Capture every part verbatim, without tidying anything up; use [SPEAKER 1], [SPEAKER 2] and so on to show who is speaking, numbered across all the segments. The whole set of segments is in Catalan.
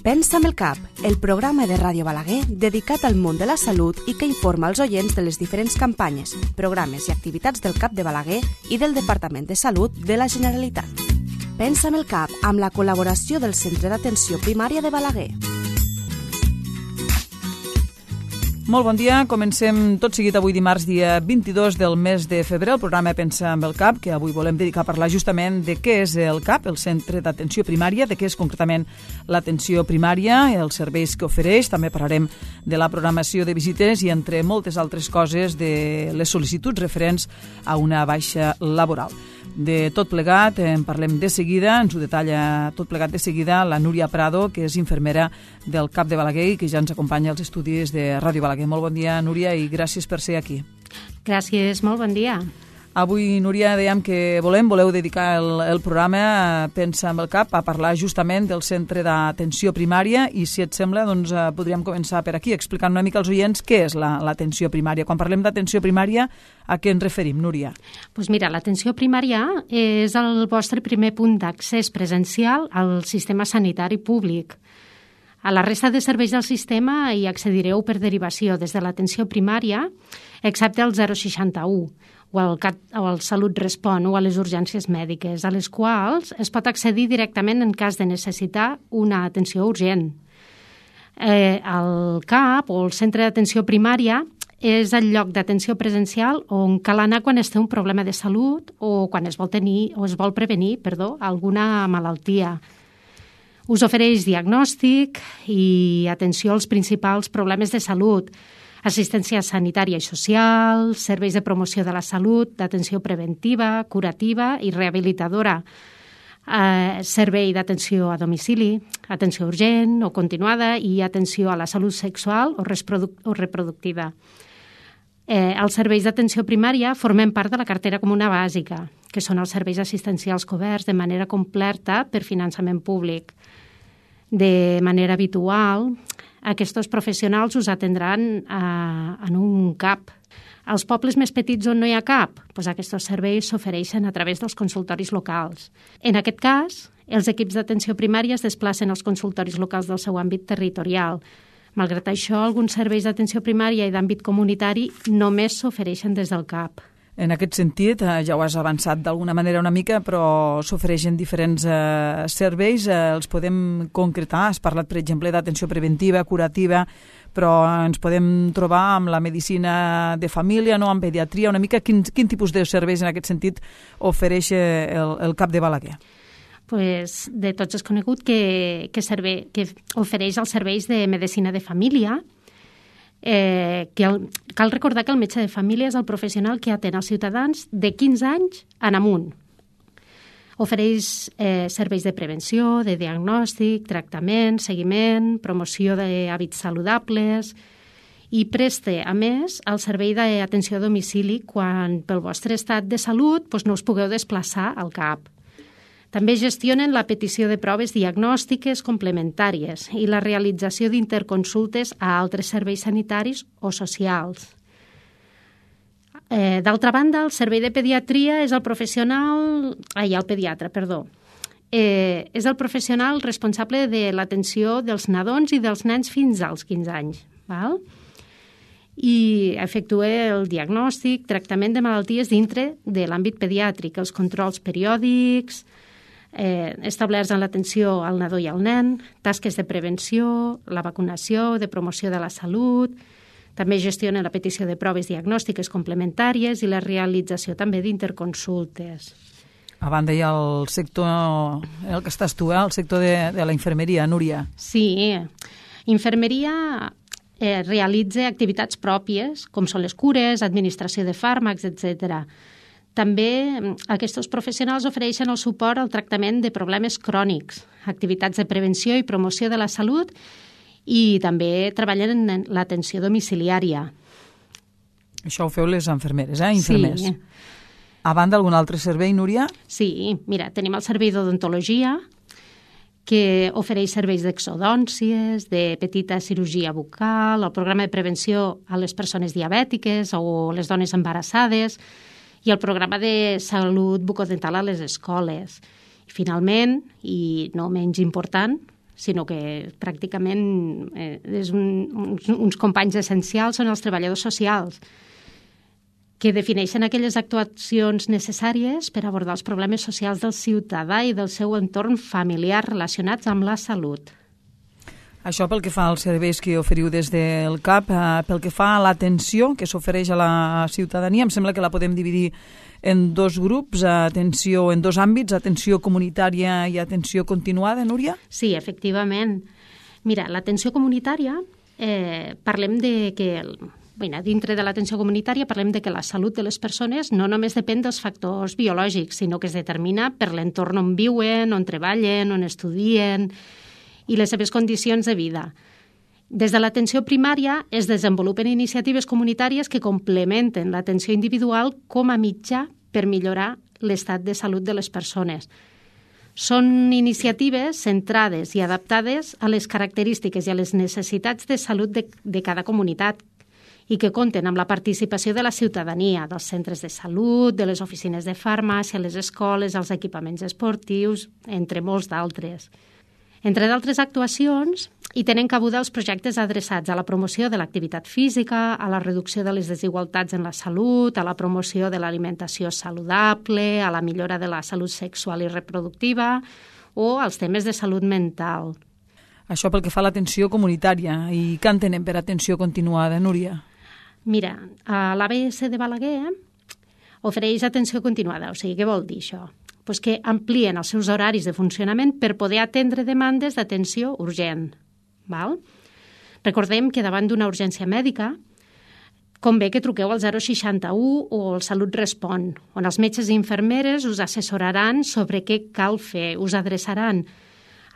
[SPEAKER 1] Pensa amb el cap, el programa de Ràdio Balaguer dedicat al món de la salut i que informa els oients de les diferents campanyes, programes i activitats del CAP de Balaguer i del Departament de Salut de la Generalitat. Pensa amb el cap, amb la col·laboració del Centre d'Atenció Primària de Balaguer.
[SPEAKER 2] Molt bon dia, comencem tot seguit avui dimarts, dia vint-i-dos del mes de febrer, el programa Pensa amb el CAP, que avui volem dedicar a parlar justament de què és el CAP, el Centre d'Atenció Primària, de què és concretament l'atenció primària, els serveis que ofereix, també parlarem de la programació de visites i, entre moltes altres coses, de les sol·licituds referents a una baixa laboral. De tot plegat en parlem de seguida, ens ho detalla tot plegat de seguida la Núria Prado, que és infermera del CAP de Balaguer i que ja ens acompanya als estudis de Ràdio Balaguer. Molt bon dia, Núria, i gràcies per ser aquí.
[SPEAKER 3] Gràcies, molt bon dia.
[SPEAKER 2] Avui, Núria, dèiem que volem, voleu dedicar el, el programa Pensa amb el CAP a parlar justament del Centre d'Atenció Primària i, si et sembla, doncs, podríem començar per aquí, explicant una mica als oients què és la, l'atenció primària. Quan parlem d'atenció primària, a què ens referim, Núria?
[SPEAKER 3] Doncs mira, l'atenció primària és el vostre primer punt d'accés presencial al sistema sanitari públic. A la resta de serveis del sistema hi accedireu per derivació des de l'atenció primària, excepte el zero seixanta-u, o el, CAT, o el Salut Respon o a les urgències mèdiques, a les quals es pot accedir directament en cas de necessitar una atenció urgent. Eh, el CAP, o el Centre d'Atenció Primària, és el lloc d'atenció presencial on cal anar quan es té un problema de salut o quan es vol tenir o es vol prevenir, perdó, alguna malaltia. Us ofereix diagnòstic i atenció als principals problemes de salut, assistència sanitària i social, serveis de promoció de la salut, d'atenció preventiva, curativa i rehabilitadora, eh, servei d'atenció a domicili, atenció urgent o continuada i atenció a la salut sexual o, reproduc- o reproductiva. Eh, els serveis d'atenció primària formen part de la cartera comuna bàsica, que són els serveis assistencials coberts de manera completa per finançament públic. De manera habitual, aquests professionals us atendran a, en un CAP. Als pobles més petits on no hi ha CAP, doncs aquests serveis s'ofereixen a través dels consultoris locals. En aquest cas, els equips d'atenció primària es desplacen als consultoris locals del seu àmbit territorial. Malgrat això, alguns serveis d'atenció primària i d'àmbit comunitari només s'ofereixen des del CAP.
[SPEAKER 2] En aquest sentit, ja ho has avançat d'alguna manera una mica, però s'ofereixen diferents eh, serveis, eh, els podem concretar. Has parlat, per exemple, d'atenció preventiva, curativa, però ens podem trobar amb la medicina de família, no, amb pediatria, una mica quin, quin tipus de serveis en aquest sentit ofereix el, el CAP de Balaguer?
[SPEAKER 3] Pues, de tots és conegut que, que, servei, que ofereix els serveis de medicina de família. Eh, que el, cal recordar que el metge de família és el professional que atén els ciutadans de quinze anys en amunt. Ofereix eh, serveis de prevenció, de diagnòstic, tractament, seguiment, promoció d'hàbits saludables i preste, a més, el servei d'atenció a domicili quan pel vostre estat de salut doncs, no us pugueu desplaçar al CAP. També gestionen la petició de proves diagnòstiques complementàries i la realització d'interconsultes a altres serveis sanitaris o socials. Eh, d'altra banda, el servei de pediatria és el professional... Ai, el pediatre, perdó. Eh, és el professional responsable de l'atenció dels nadons i dels nens fins als quinze anys. Val? I efectua el diagnòstic, tractament de malalties dintre de l'àmbit pediàtric, els controls periòdics, Eh, establerts en l'atenció al nadó i al nen, tasques de prevenció, la vacunació, de promoció de la salut, també gestiona la petició de proves diagnòstiques complementàries i la realització també d'interconsultes.
[SPEAKER 2] A banda hi ha el sector, el que estàs tu, eh? El sector de, de la infermeria, Núria.
[SPEAKER 3] Sí, infermeria eh, realitza activitats pròpies, com són les cures, administració de fàrmacs, etcètera. També aquests professionals ofereixen el suport al tractament de problemes crònics, activitats de prevenció i promoció de la salut i també treballen en l'atenció domiciliària.
[SPEAKER 2] Això ho feu les infermeres, eh? Infermers.
[SPEAKER 3] Sí.
[SPEAKER 2] A banda, algun altre servei, Núria?
[SPEAKER 3] Sí, mira, tenim el servei d'odontologia, que ofereix serveis d'exodòncies, de petita cirurgia bucal, el programa de prevenció a les persones diabètiques o les dones embarassades, i el programa de salut bucodental a les escoles. I finalment, i no menys important, sinó que pràcticament eh, és un, uns, uns companys essencials són els treballadors socials, que defineixen aquelles actuacions necessàries per abordar els problemes socials del ciutadà i del seu entorn familiar relacionats amb la salut.
[SPEAKER 2] Això pel que fa als serveis que oferiu des del C A P, eh, pel que fa a l'atenció que s'ofereix a la ciutadania, em sembla que la podem dividir en dos grups, atenció en dos àmbits, atenció comunitària i atenció continuada, Núria?
[SPEAKER 3] Sí, efectivament. Mira, l'atenció comunitària, eh, parlem de que, bueno, dintre de l'atenció comunitària parlem de que la salut de les persones no només depèn dels factors biològics, sinó que es determina per l'entorn on viuen, on treballen, on estudien i les seves condicions de vida. Des de l'atenció primària es desenvolupen iniciatives comunitàries que complementen l'atenció individual com a mitjà per millorar l'estat de salut de les persones. Són iniciatives centrades i adaptades a les característiques i a les necessitats de salut de, de cada comunitat i que compten amb la participació de la ciutadania, dels centres de salut, de les oficines de farmàcia, les escoles, els equipaments esportius, entre molts d'altres. Entre d'altres actuacions, hi tenen cabuda els projectes adreçats a la promoció de l'activitat física, a la reducció de les desigualtats en la salut, a la promoció de l'alimentació saludable, a la millora de la salut sexual i reproductiva o als temes de salut mental.
[SPEAKER 2] Això pel que fa a l'atenció comunitària. I què entenem per atenció continuada, Núria?
[SPEAKER 3] Mira, a l'A B S de Balaguer ofereix atenció continuada. O sigui, què vol dir això? Pues que amplien els seus horaris de funcionament per poder atendre demandes d'atenció urgent. Val? Recordem que davant d'una urgència mèdica convé que truqueu al zero seixanta-u o al Salut Respon, on els metges i infermeres us assessoraran sobre què cal fer, us adreçaran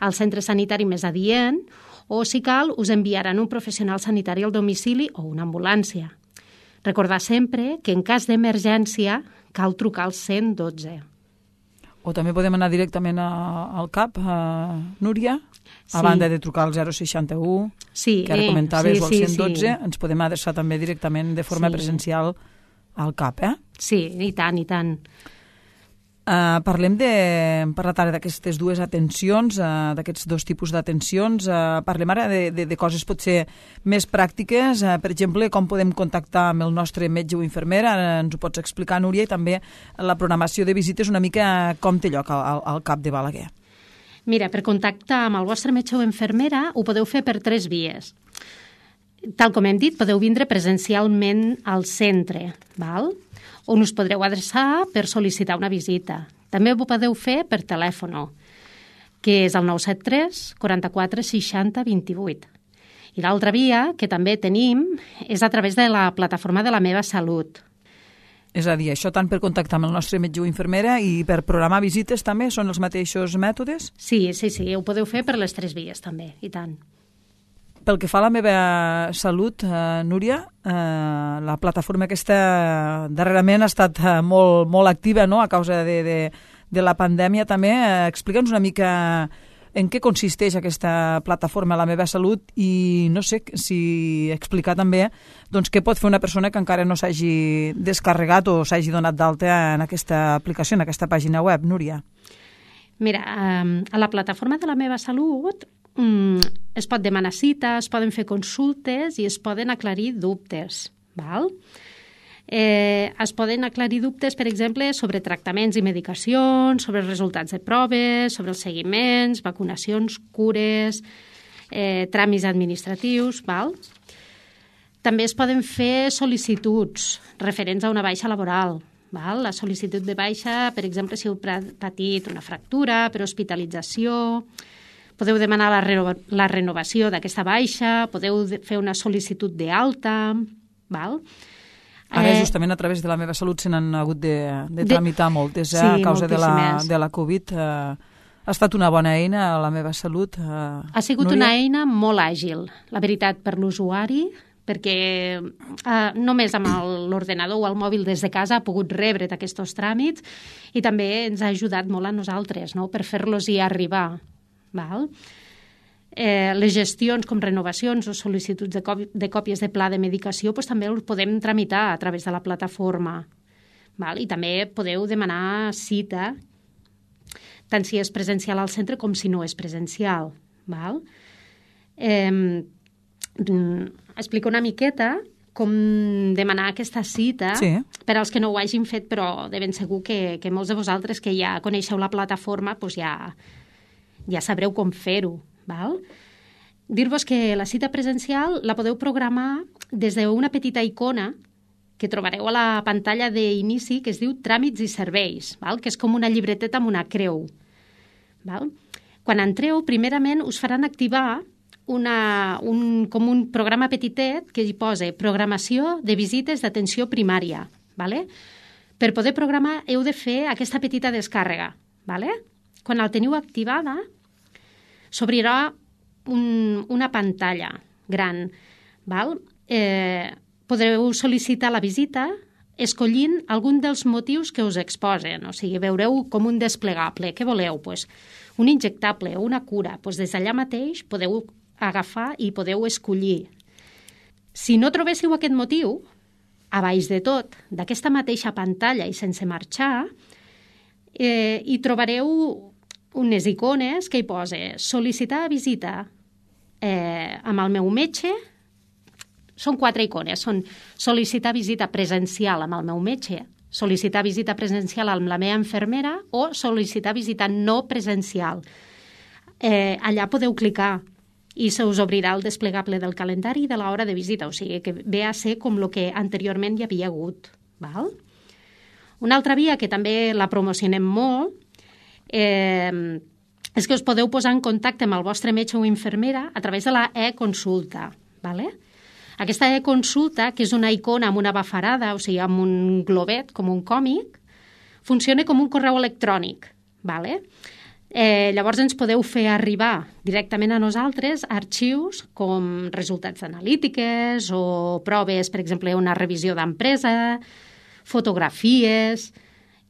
[SPEAKER 3] al centre sanitari més adient o, si cal, us enviaran un professional sanitari al domicili o una ambulància. Recordar sempre que en cas d'emergència cal trucar al cent dotze.
[SPEAKER 2] O també podem anar directament a, al C A P, a Núria,
[SPEAKER 3] sí.
[SPEAKER 2] A banda de trucar al zero seixanta-u,
[SPEAKER 3] sí,
[SPEAKER 2] que ara comentaves,
[SPEAKER 3] sí,
[SPEAKER 2] o al
[SPEAKER 3] sí,
[SPEAKER 2] cent dotze,
[SPEAKER 3] sí.
[SPEAKER 2] Ens podem adreçar també directament de forma
[SPEAKER 3] sí.
[SPEAKER 2] presencial al C A P, eh?
[SPEAKER 3] Sí, i tant, i tant.
[SPEAKER 2] Uh, parlem de, hem parlat ara d'aquestes dues atencions, uh, d'aquests dos tipus d'atencions. Uh, parlem ara de, de, de coses potser més pràctiques, uh, per exemple, com podem contactar amb el nostre metge o infermera, uh, ens ho pots explicar, Núria, i també la programació de visites una mica com té lloc al, al C A P de Balaguer.
[SPEAKER 3] Mira, per contactar amb el vostre metge o infermera ho podeu fer per tres vies. Tal com hem dit, podeu vindre presencialment al centre, val? On us podreu adreçar per sol·licitar una visita. També ho podeu fer per telèfon, que és el nou set tres, quaranta-quatre, seixanta, vint-i-vuit. I l'altra via, que també tenim, és a través de la plataforma de La Meva Salut.
[SPEAKER 2] És a dir, això tant per contactar amb el nostre metge o infermera i per programar visites també són els mateixos mètodes?
[SPEAKER 3] Sí, sí, sí, ho podeu fer per les tres vies també, i tant.
[SPEAKER 2] Pel que fa a La Meva Salut, eh, Núria, eh, la plataforma aquesta darrerament ha estat eh, molt, molt activa, no?, a causa de, de, de la pandèmia també. Eh, Explica'ns una mica en què consisteix aquesta plataforma La Meva Salut i no sé si explicar també doncs, què pot fer una persona que encara no s'hagi descarregat o s'hagi donat d'alta en aquesta aplicació, en aquesta pàgina web, Núria.
[SPEAKER 3] Mira, eh, a la plataforma de La Meva Salut es pot demanar cita, es poden fer consultes i es poden aclarir dubtes. Val? Eh, es poden aclarir dubtes, per exemple, sobre tractaments i medicacions, sobre els resultats de proves, sobre els seguiments, vacunacions, cures, eh, tràmits administratius. Val? També es poden fer sol·licituds referents a una baixa laboral. Val? La sol·licitud de baixa, per exemple, si heu patit una fractura per hospitalització. Podeu demanar la, reno la renovació d'aquesta baixa, podeu fer una sol·licitud d'alta, val?
[SPEAKER 2] Ara,
[SPEAKER 3] eh,
[SPEAKER 2] justament, a través de La Meva Salut se n'han hagut de, de tramitar de... moltes, eh? Sí, a causa de la, de la Covid. Eh, ha estat una bona eina, La Meva Salut. Eh,
[SPEAKER 3] ha sigut Núria? Una eina molt àgil, la veritat, per l'usuari, perquè eh, només amb l'ordenador o el mòbil des de casa ha pogut rebre aquests tràmits i també ens ha ajudat molt a nosaltres, no?, per fer-los-hi arribar. Val? Eh, les gestions com renovacions o sol·licituds de, de còpies de pla de medicació doncs, també els podem tramitar a través de la plataforma. Val? I també podeu demanar cita tant si és presencial al centre com si no és presencial. Val? Eh, explico una miqueta com demanar aquesta cita,
[SPEAKER 2] sí.
[SPEAKER 3] Per als que no ho hagin fet, però de ben segur que, que molts de vosaltres que ja coneixeu la plataforma doncs ja, ja sabreu com fer-ho. Val? Dir-vos que la cita presencial la podeu programar des d'una petita icona que trobareu a la pantalla d'inici que es diu Tràmits i Serveis, val? Que és com una llibreteta amb una creu. Val? Quan entreu, primerament us faran activar una, un, com un programa petitet que hi posa programació de visites d'atenció primària. Vale? Per poder programar heu de fer aquesta petita descàrrega. Vale? Quan el teniu activada, s'obrirà un, una pantalla gran. Val? Eh, podreu sol·licitar la visita escollint algun dels motius que us exposen. O sigui, veureu com un desplegable. Què voleu? Pues, un injectable o una cura. Pues des d'allà mateix podeu agafar i podeu escollir. Si no trobéssiu aquest motiu, a baix de tot, d'aquesta mateixa pantalla i sense marxar, eh, hi trobareu unes icones que hi posa sol·licitar visita eh, amb el meu metge. Són quatre icones. Són sol·licitar visita presencial amb el meu metge, sol·licitar visita presencial amb la meva infermera o sol·licitar visita no presencial. Eh, allà podeu clicar i se us obrirà el desplegable del calendari i de l'hora de visita, o sigui que ve a ser com el que anteriorment hi havia hagut. Val? Una altra via que també la promocionem molt eh, és que us podeu posar en contacte amb el vostre metge o infermera a través de la e-consulta. Vale? Aquesta e-consulta, que és una icona amb una bafarada, o sigui, amb un globet, com un còmic, funciona com un correu electrònic. Vale? Eh, llavors ens podeu fer arribar directament a nosaltres arxius com resultats analítiques o proves, per exemple, una revisió d'empresa, fotografies,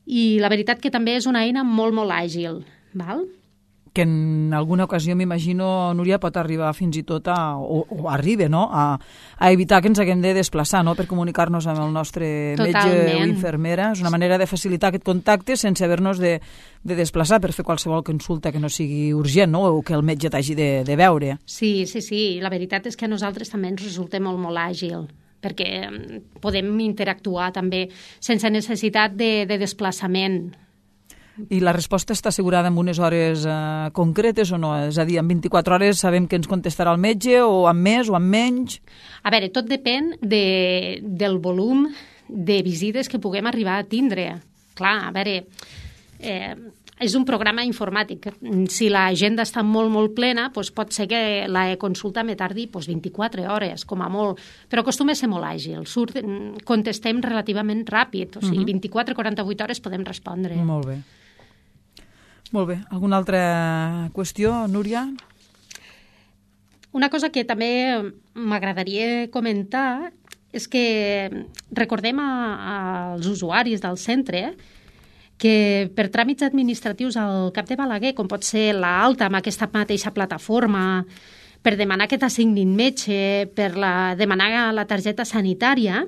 [SPEAKER 3] i la veritat que també és una eina molt, molt àgil. Val?
[SPEAKER 2] Que en alguna ocasió, m'imagino, Núria, pot arribar fins i tot a, o, o arriba, no?, a, a evitar que ens haguem de desplaçar, no?, per comunicar-nos amb el nostre
[SPEAKER 3] Totalment.
[SPEAKER 2] metge o infermera. És una manera de facilitar aquest contacte sense haver-nos de, de desplaçar per fer qualsevol consulta que no sigui urgent, no?, o que el metge t'hagi de, de veure.
[SPEAKER 3] Sí, sí, sí. La veritat és que a nosaltres també ens resulta molt, molt àgil, perquè podem interactuar també sense necessitat de, de desplaçament.
[SPEAKER 2] I la resposta està assegurada en unes hores eh, concretes o no? És a dir, en vint-i-quatre hores sabem que ens contestarà el metge, o amb més o amb menys?
[SPEAKER 3] A veure, tot depèn de, del volum de visites que puguem arribar a tindre. Clar, a veure, eh, és un programa informàtic. Si l'agenda està molt, molt plena, doncs pot ser que la consulta me tardi doncs, vint-i-quatre hores, com a molt, però acostuma a ser molt àgil. Surt, contestem relativament ràpid, o sigui, uh-huh. vint-i-quatre a quaranta-vuit hores podem respondre.
[SPEAKER 2] Molt bé. Molt bé. Alguna altra qüestió, Núria?
[SPEAKER 3] Una cosa que també m'agradaria comentar és que recordem a, als usuaris del centre que per tràmits administratius al Cap de Balaguer, com pot ser l'alta amb aquesta mateixa plataforma, per demanar que t'assignin metge, per la, demanar la targeta sanitària,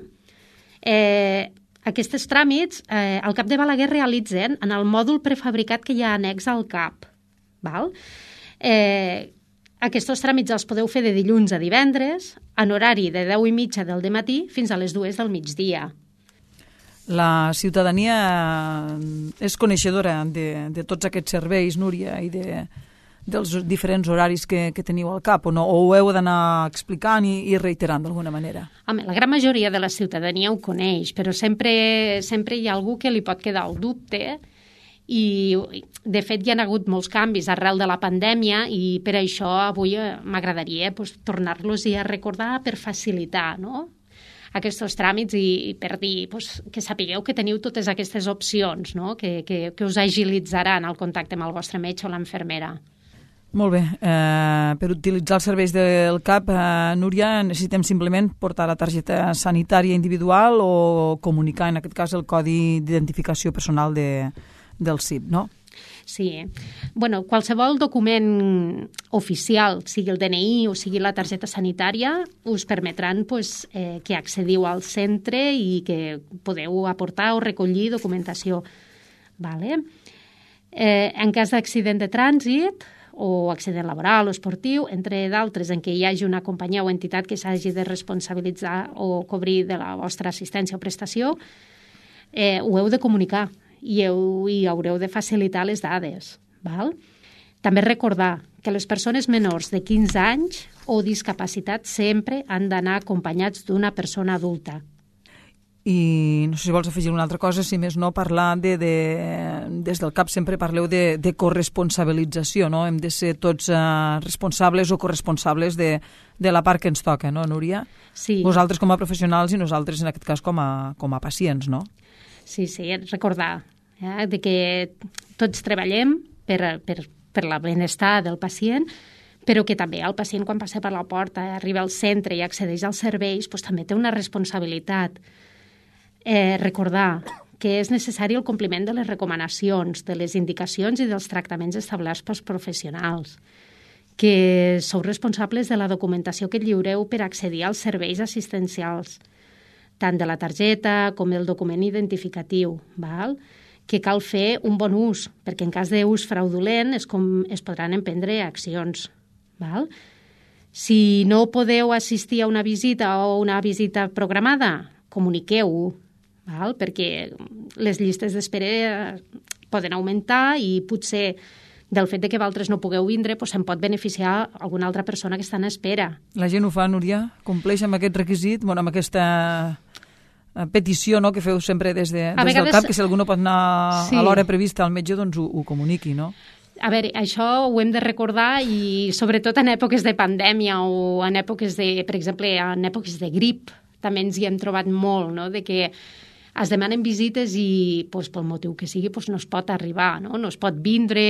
[SPEAKER 3] eh, aquests tràmits eh, el Cap de Balaguer realitzen en el mòdul prefabricat que hi ha annex al C A P. Val? Eh, aquests tràmits els podeu fer de dilluns a divendres, en horari de deu i mitja del dematí fins a les dues del migdia.
[SPEAKER 2] La ciutadania és coneixedora de, de tots aquests serveis, Núria, i de, dels diferents horaris que, que teniu al cap, o no? O ho heu d'anar explicant i, i reiterant d'alguna manera?
[SPEAKER 3] Home, la gran majoria de la ciutadania ho coneix, però sempre, sempre hi ha algú que li pot quedar el dubte i, de fet, hi ha hagut molts canvis arrel de la pandèmia i per això avui m'agradaria pues, tornar-los a recordar per facilitar, no?, aquests tràmits i, i per dir pues, que sapigueu que teniu totes aquestes opcions, no?, que, que, que us agilitzaran el contacte amb el vostre metge o l'infermera.
[SPEAKER 2] Molt bé. Eh, per utilitzar els serveis del C A P, eh, Núria, necessitem simplement portar la targeta sanitària individual o comunicar, en aquest cas, el codi d'identificació personal de, del C I P, no?
[SPEAKER 3] Sí. Bueno, qualsevol document oficial, sigui el D N I o sigui la targeta sanitària, us permetran pues, eh, que accediu al centre i que podeu aportar o recollir documentació. Vale? Eh, en cas d'accident de trànsit o accident laboral o esportiu, entre d'altres en què hi hagi una companyia o entitat que s'hagi de responsabilitzar o cobrir de la vostra assistència o prestació, eh, ho heu de comunicar i, heu, i haureu de facilitar les dades. Val? També recordar que les persones menors de quinze anys o discapacitats sempre han d'anar acompanyats d'una persona adulta.
[SPEAKER 2] I no sé si vols afegir una altra cosa, si més no parlar de, de des del C A P sempre parleu de, de corresponsabilització, no? Hem de ser tots uh, responsables o corresponsables de, de la part que ens toca, no, Núria?
[SPEAKER 3] Sí.
[SPEAKER 2] Vosaltres com a professionals i nosaltres en aquest cas com a, com a pacients, no?
[SPEAKER 3] Sí, sí, recordar eh, de que tots treballem per, per, per la benestar del pacient, però que també el pacient quan passa per la porta, arriba al centre i accedeix als serveis, doncs, també té una responsabilitat. Eh, recordar que és necessari el compliment de les recomanacions, de les indicacions i dels tractaments establerts pels professionals, que sou responsables de la documentació que lliureu per accedir als serveis assistencials, tant de la targeta com del document identificatiu, val? Que cal fer un bon ús, perquè en cas d'ús fraudulent és com es podran emprendre accions. Val? Si no podeu assistir a una visita o una visita programada, comuniqueu-ho, val? Perquè les llistes d'espera poden augmentar i potser del fet de que vosaltres no pugueu vindre doncs se'n pot beneficiar alguna altra persona que està en espera.
[SPEAKER 2] La gent ho fa, Núria? Compleix amb aquest requisit, bueno, amb aquesta petició, no?, que feu sempre des, de, des vegades, del C A P, que si algú no pot anar sí. a l'hora prevista al metge, doncs ho, ho comuniqui, no?
[SPEAKER 3] A veure, això ho hem de recordar i sobretot en èpoques de pandèmia o en èpoques de, per exemple, en èpoques de grip, també ens hi hem trobat molt, no?, de que es demanen visites i doncs, pel motiu que sigui doncs, no es pot arribar, no, no es pot vindre,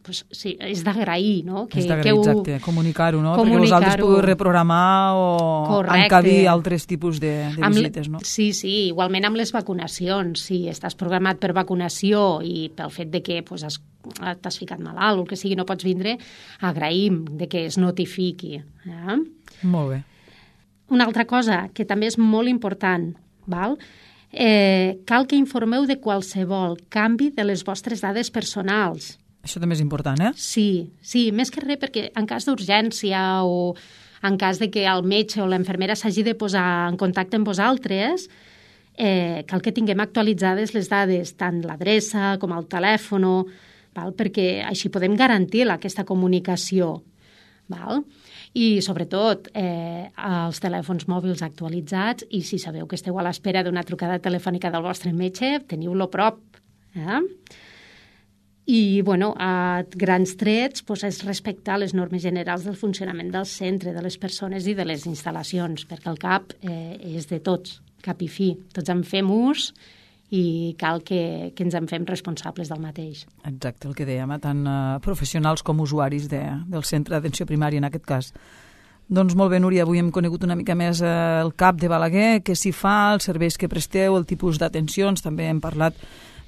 [SPEAKER 3] doncs, sí, és d'agrair, no? Que,
[SPEAKER 2] és d'agrair,
[SPEAKER 3] ho...
[SPEAKER 2] exacte, comunicar-ho, no?
[SPEAKER 3] Comunicar-ho.
[SPEAKER 2] Perquè vosaltres podeu reprogramar o
[SPEAKER 3] Correcte.
[SPEAKER 2] encabir altres tipus de, de
[SPEAKER 3] amb
[SPEAKER 2] visites, no?
[SPEAKER 3] Sí, sí, igualment amb les vacunacions, si estàs programat per vacunació i pel fet de que doncs, has, t'has ficat malalt o el que sigui, no pots vindre, agraïm de que es notifiqui. Eh?
[SPEAKER 2] Molt bé.
[SPEAKER 3] Una altra cosa que també és molt important, val? Eh, cal que informeu de qualsevol canvi de les vostres dades personals.
[SPEAKER 2] Això també és important, eh?
[SPEAKER 3] Sí, sí, més que res perquè en cas d'urgència o en cas de que el metge o l'infermera s'hagi de posar en contacte amb vosaltres, eh, cal que tinguem actualitzades les dades, tant l'adreça com el telèfon, val? Perquè així podem garantir aquesta comunicació. Val? I, sobretot, eh, els telèfons mòbils actualitzats i si sabeu que esteu a l'espera d'una trucada telefònica del vostre metge, teniu-lo a prop. Eh? I, bueno, a grans trets doncs, és respectar les normes generals del funcionament del centre, de les persones i de les instal·lacions, perquè el C A P eh, és de tots, cap i fi. Tots en fem ús i cal que, que ens en fem responsables del mateix.
[SPEAKER 2] Exacte, el que dèiem, tant uh, professionals com usuaris de, del centre d'atenció primària en aquest cas. Doncs molt bé, Núria, avui hem conegut una mica més uh, el C A P de Balaguer, què s'hi fa, els serveis que presteu, el tipus d'atencions, també hem parlat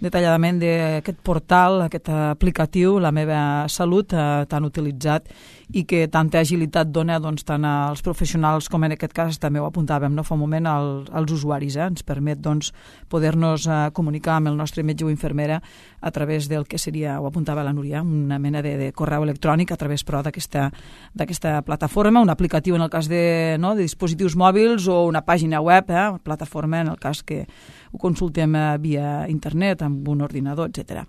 [SPEAKER 2] detalladament d'aquest portal, aquest aplicatiu, La meva salut, eh, tan utilitzat i que tanta agilitat dona doncs, tant als professionals com en aquest cas també ho apuntàvem no? fa un moment al, als usuaris. Eh? Ens permet doncs, poder-nos eh, comunicar amb el nostre metge o infermera a través del que seria, ho apuntava la Núria, una mena de, de correu electrònic a través però d'aquesta d'aquesta plataforma, un aplicatiu en el cas de, no, de dispositius mòbils o una pàgina web, eh? plataforma en el cas que ho consultem eh, via internet, amb un ordinador, etcètera.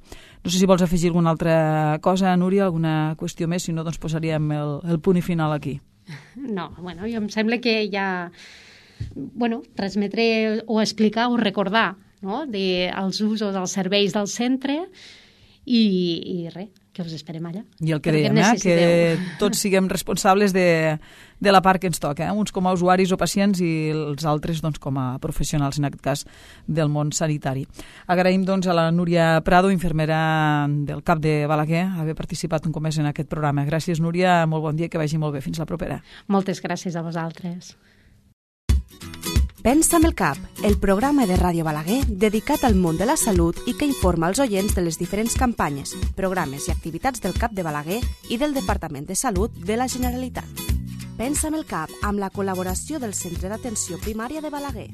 [SPEAKER 2] No sé si vols afegir alguna altra cosa, Núria, alguna qüestió més, si no, doncs posaríem el, el punt i final aquí.
[SPEAKER 3] No, bueno, jo em sembla que ja, bueno, transmetre o explicar o recordar, no?, de, els usos dels serveis del centre i, i res, que us esperem allà.
[SPEAKER 2] I el que dèiem, eh, que tots siguem responsables de, de la part que ens toca, eh? Uns com a usuaris o pacients i els altres doncs, com a professionals, en aquest cas, del món sanitari. Agraïm doncs, a la Núria Prado, infermera del C A P de Balaguer, haver participat un cop més en aquest programa. Gràcies, Núria, molt bon dia, que vagi molt bé. Fins la propera.
[SPEAKER 3] Moltes gràcies a vosaltres.
[SPEAKER 1] Pensa amb el C A P, el programa de Ràdio Balaguer dedicat al món de la salut i que informa els oients de les diferents campanyes, programes i activitats del C A P de Balaguer i del Departament de Salut de la Generalitat. Pensa amb el C A P amb la col·laboració del Centre d'Atenció Primària de Balaguer.